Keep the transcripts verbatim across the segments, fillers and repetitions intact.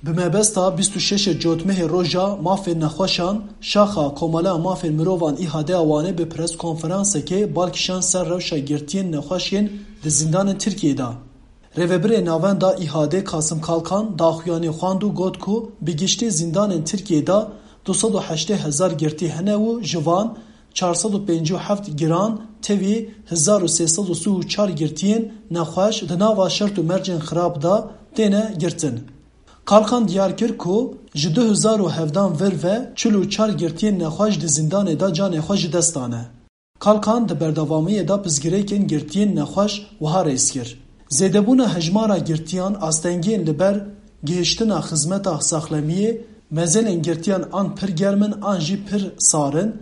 Bi mebesta bîst û şeş Cotmehê Roja Mafên Nexweşan, Şaxa Komeleya Mafên Mirovan İHAD'ya Wanê bi preskonferansekê bal kişand ser rewşa girtiyên nexweş yên di zîndanên Tirkiyeyê de. Rêvebirê Navenda İHAD'ê Kasım Kalkan daxuyaniyê xwend û got ku bi giştî zîndanên Tirkiyeyê de du sed û heştê hezar girtî hene û ji van çar sed û pêncî û heft giran tevî hezar û sê sed û sî û çar girtiyên nexweş di nava şert û mercên xirab de têne girtin. Kalkan diyar kir ku ji du hezar û hevdan vir ve çil û çar girtiyên nexweş di zîndanê de canê xwe ji dest dane. Kalkan di berdewamiyê de pirsgirêkên girtiyên nexweş wiha rêz kir: Zêdebûna hejmara girtiyan, astengiyên li ber gihiştina xizmeta saxlemiyê, mezelên girtiyan an pir germ in an jî pir sar in,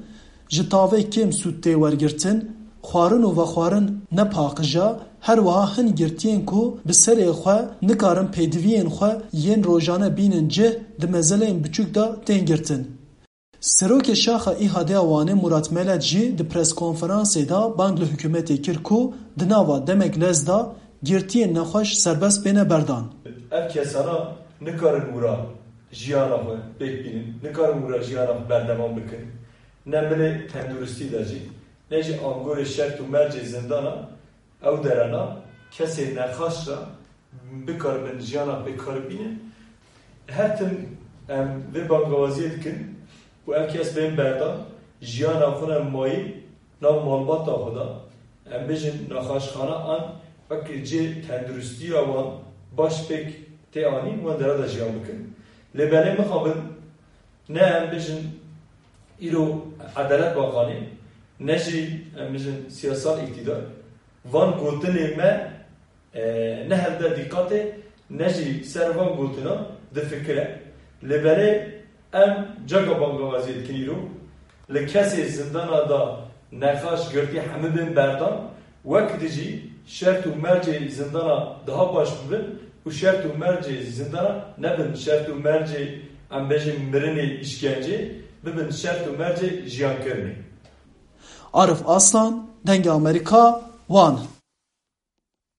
ji tavê kêm sûd tê wergirtin, xwarin û vexwarin ne paqij e, her wiha hin girtiyên ku bi serê xwe nikarin pêdiviyên xwe yên rojane bînin cih, di mezeleyên biçûk de tên girtin. Serokê Şaxa İHAD'ya Wanê Murat Melet jî di preskonferansê de bang li hikûmetê kir ku di nava demek lez de girtiyên nexweş serbest bêne berdan. Ev kesana nikarin wira jiyana xwe pêk bînin, nikarin wira jiyana xwe berdewam bikin. Ne milê tenduristî de jî, ne jî angorê şert û mercê zindana ew derena kesê nexaş re bikaribin jiyana pê karibînin. Her tim em vê bangawaziyê dikin ku ev kes bên berdan, jiyana xwe ne mayî nav malbata xwe de, em bêjin nexaşxana an wek cê tenduristiya wan baş pêk tê anîn, wan dera de jiyan bikin. Lê belê mixabin ne em bêjin îro edelet bakanê, ne jî em bêjin siyasal îktîdar. Van gotinê me, e, ne hevde dîqatê, ne jî ser van gotinan difikire. Lê belê em caka bangawaziyê dikin îro. Li kesê zindana da nexaş girtî hemû bên berdan, wek di jî şert û mercê zindana daha baş bibin û şert û mercê zindana nebin şert û mercê, em bêjin, mirinê, îşkencê, bibin şert û mercê jiyankirinê. Arif Aslan, Dengê Amerîka, Wan.